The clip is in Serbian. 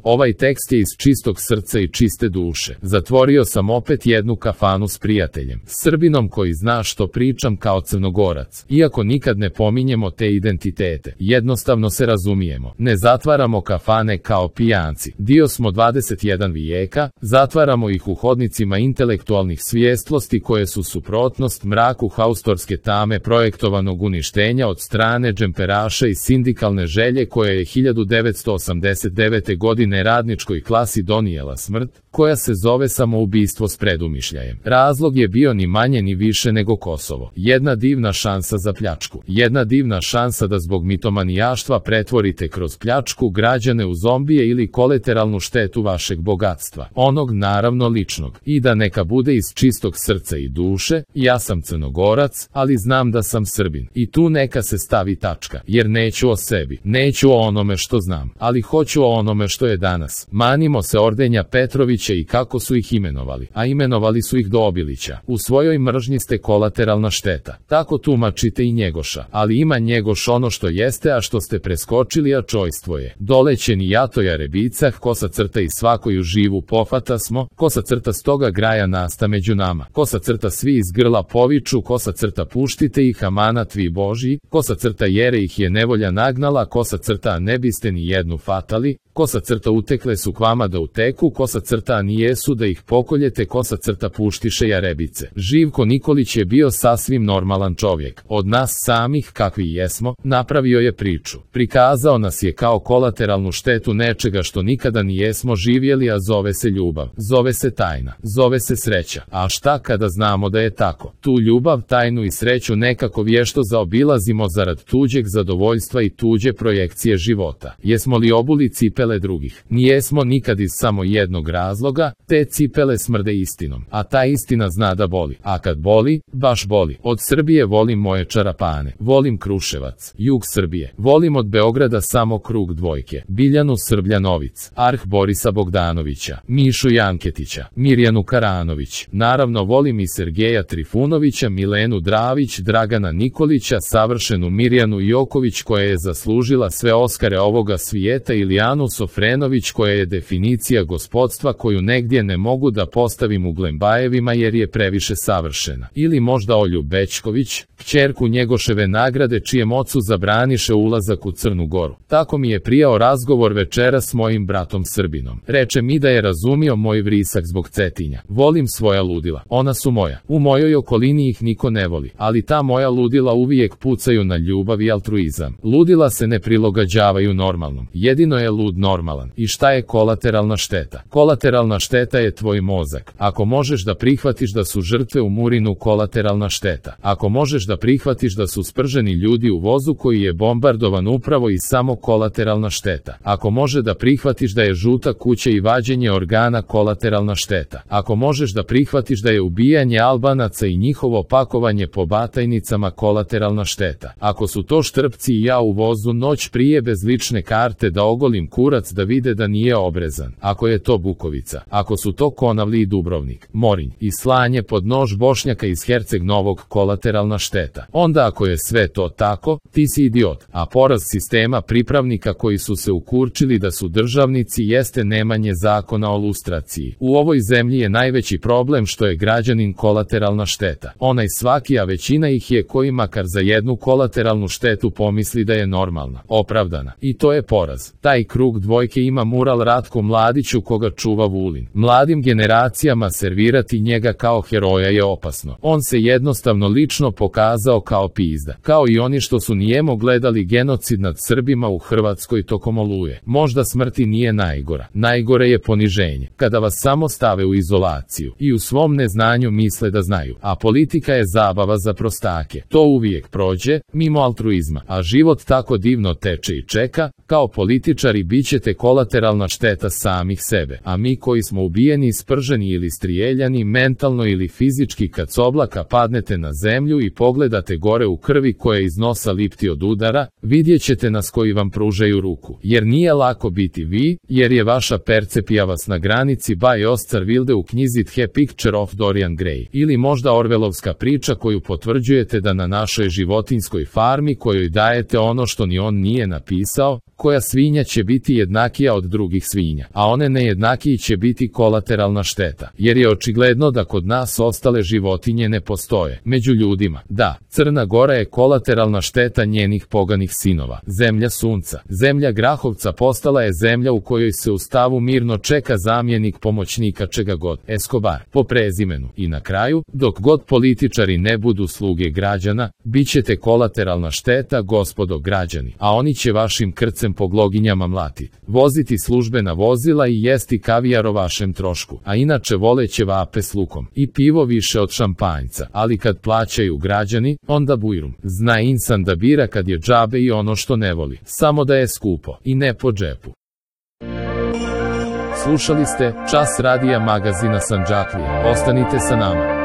Ovaj tekst je iz čistog srca i čiste duše. Zatvorio sam opet jednu kafanu s prijateljem, Srbinom koji zna što pričam kao Crnogorac. Iako nikad ne pominjemo te identitete, jednostavno se razumijemo. Ne zatvaramo kafane kao pijanci. Dio smo 21 vijeka, zatvaramo ih u hodnicima intelektualnih svijestlosti koje su suprotnost mraku haustorske tame projektovanog uništenja od strane džemperaša i sindikalne želje koje je 1989. godine radničkoj klasi donijela smrt, koja se zove samoubistvo s predumišljajem. Razlog je bio ni manje ni više nego Kosovo. Jedna divna šansa za pljačku. Jedna divna šansa da zbog mitomanijaštva pretvorite kroz pljačku građane u zombije ili kolateralnu štetu vašeg bogatstva. Onog naravno ličnog. I da neka bude iz čistog srca i duše, ja sam Crnogorac, ali znam da sam Srbin. I tu neka se stavi tačka. Jer neću o sebi. Neću o onome što znam. Ali hoću o onome što je danas. Manimo se ordenja Petrovića i kako su ih imenovali, a imenovali su ih do Obilića. U svojoj mržnji ste kolateralna šteta. Tako tumačite i Njegoša, ali ima Njegoš ono što jeste, a što ste preskočili, a čojstvo je. Dolećeni jato Jarebicah, kosa crta i svakoju živu pofata smo, kosa crta stoga graja nasta među nama, kosa crta svi iz grla poviču, kosa crta puštite ih, amanat vi Božji, kosa crta jere ih je nevolja nagnala, kosa crta ne biste ni jednu fatali, kosa crta utekle su k vama da uteku, kosa crta a nijesu da ih pokoljete, kosa crta puštiše Jarebice. Živko Nikolić je bio sasvim normalan čovjek. Od nas samih, kakvi jesmo, napravio je priču. Prikazao nas je kao kolateralnu štetu nečega što nikada nijesmo živjeli, a zove se ljubav, zove se tajna, zove se sreća. A šta kada znamo da je tako? Tu ljubav, tajnu i sreću nekako vješto zaobilazimo zarad tuđeg zadovoljstva i tuđe projekcije života. Jesmo li obuli cipele drugih? Nijesmo nikad iz samo jednog razloga, te cipele smrde istinom, a ta istina zna da boli, a kad boli, baš boli. Od Srbije volim moje čarapane, volim Kruševac, jug Srbije, volim od Beograda samo krug dvojke, Biljanu Srbljanovic, Arh Borisa Bogdanovića, Mišu Janketića, Mirjanu Karanović, naravno volim i Sergeja Trifunovića, Milenu Dravić, Dragana Nikolića, savršenu Mirjanu Joković koja je zaslužila sve Oskare ovoga svijeta, ili Anu Sofrenović koja je definicija gospodstva koju negdje ne mogu da postavim u Glembajevima jer je previše savršena. Ili možda Olju Bećković, kćerku Njegoševe nagrade čijem ocu zabraniše ulazak u Crnu Goru. Tako mi je prijao razgovor večera s mojim bratom Srbinom. Reče mi da je razumio moj vrisak zbog Cetinja. Volim svoja ludila. Ona su moja. U mojoj okolini ih niko ne voli, ali ta moja ludila uvijek pucaju na ljubav i altruizam. Ludila se ne prilagođavaju normalnom. Jedino je lud normalan. I šta je kolateralna šteta? Kolateralna šteta je tvoj mozak. Ako možeš da prihvatiš da su žrtve u Murinu, kolateralna šteta. Ako možeš da prihvatiš da su sprženi ljudi u vozu koji je bombardovan, upravo i samo kolateralna šteta. Ako može da prihvatiš da je žuta kuća i vađenje organa kolateralna šteta. Ako možeš da prihvatiš da je ubijanje Albanaca i njihovo pakovanje po batajnicama kolateralna šteta. Ako su to Štrpci i ja u vozu noć prije bez lične karte da ogolim kurac da vide da nije obrezan. Ako je to Bukovica. Ako su to Konavli i Dubrovnik, Morinj i slanje pod nož Bošnjaka iz Herceg Novog, kolateralna šteta. Onda ako je sve to tako, ti si idiot. A poraz sistema pripravnika koji su se ukurčili da su državnici jeste nemanje zakona o lustraciji. U ovoj zemlji je najveći problem što je građanin kolateralna šteta. Onaj svaki, a većina ih je koji makar za jednu kolateralnu štetu pomisli da je normalna, opravdana. I to je poraz. Taj krug dvojke ima mural Ratku Mladiću koga čuva Vulin. Mladim generacijama servirati njega kao heroja je opasno. On se jednostavno lično pokazao kao pizda. Kao i oni što su nijemo gledali genocid nad Srbima u Hrvatskoj tokom Oluje. Možda smrti nije najgora. Najgore je poniženje. Kada vas samo stave u izolaciju i u svom neznanju misle da znaju. A politika je zabava za prostake. To uvijek prođe, mimo altruizma. A život tako divno teče i čeka, kao političari bit ćete kolateralna šteta samih sebe. A mi koji smo ubijeni, sprženi ili strijeljani mentalno ili fizički kad s oblaka padnete na zemlju i pogledate pogledate gore u krvi koja iz nosa lipti od udara, vidjet ćete nas koji vam pružaju ruku. Jer nije lako biti vi, jer je vaša percepcija vas na granici by Oscar Wilde u knjizi The Picture of Dorian Gray. Ili možda Orwellovska priča koju potvrđujete da na našoj životinjskoj farmi kojoj dajete ono što ni on nije napisao, koja svinja će biti jednakija od drugih svinja, a one nejednakiji će biti kolateralna šteta, jer je očigledno da kod nas ostale životinje ne postoje. Među ljudima, da, Crna Gora je kolateralna šteta njenih poganih sinova. Zemlja sunca, zemlja Grahovca postala je zemlja u kojoj se u stavu mirno čeka zamjenik pomoćnika čega god, Escobar, po prezimenu. I na kraju, dok god političari ne budu sluge građana, bit ćete kolateralna šteta, gospodo građani, a oni će vašim krcem po gloginjama mlatiti, voziti službena vozila i jesti kavijar o vašem trošku, a inače voleće vape s lukom i pivo više od šampanjca, ali kad plaćaju građani, onda bujrum. Zna insan da bira kad je džabe i ono što ne voli, samo da je skupo i ne po džepu. Slušali ste Čas radija magazina Sandžaklija. Ostanite sa nama.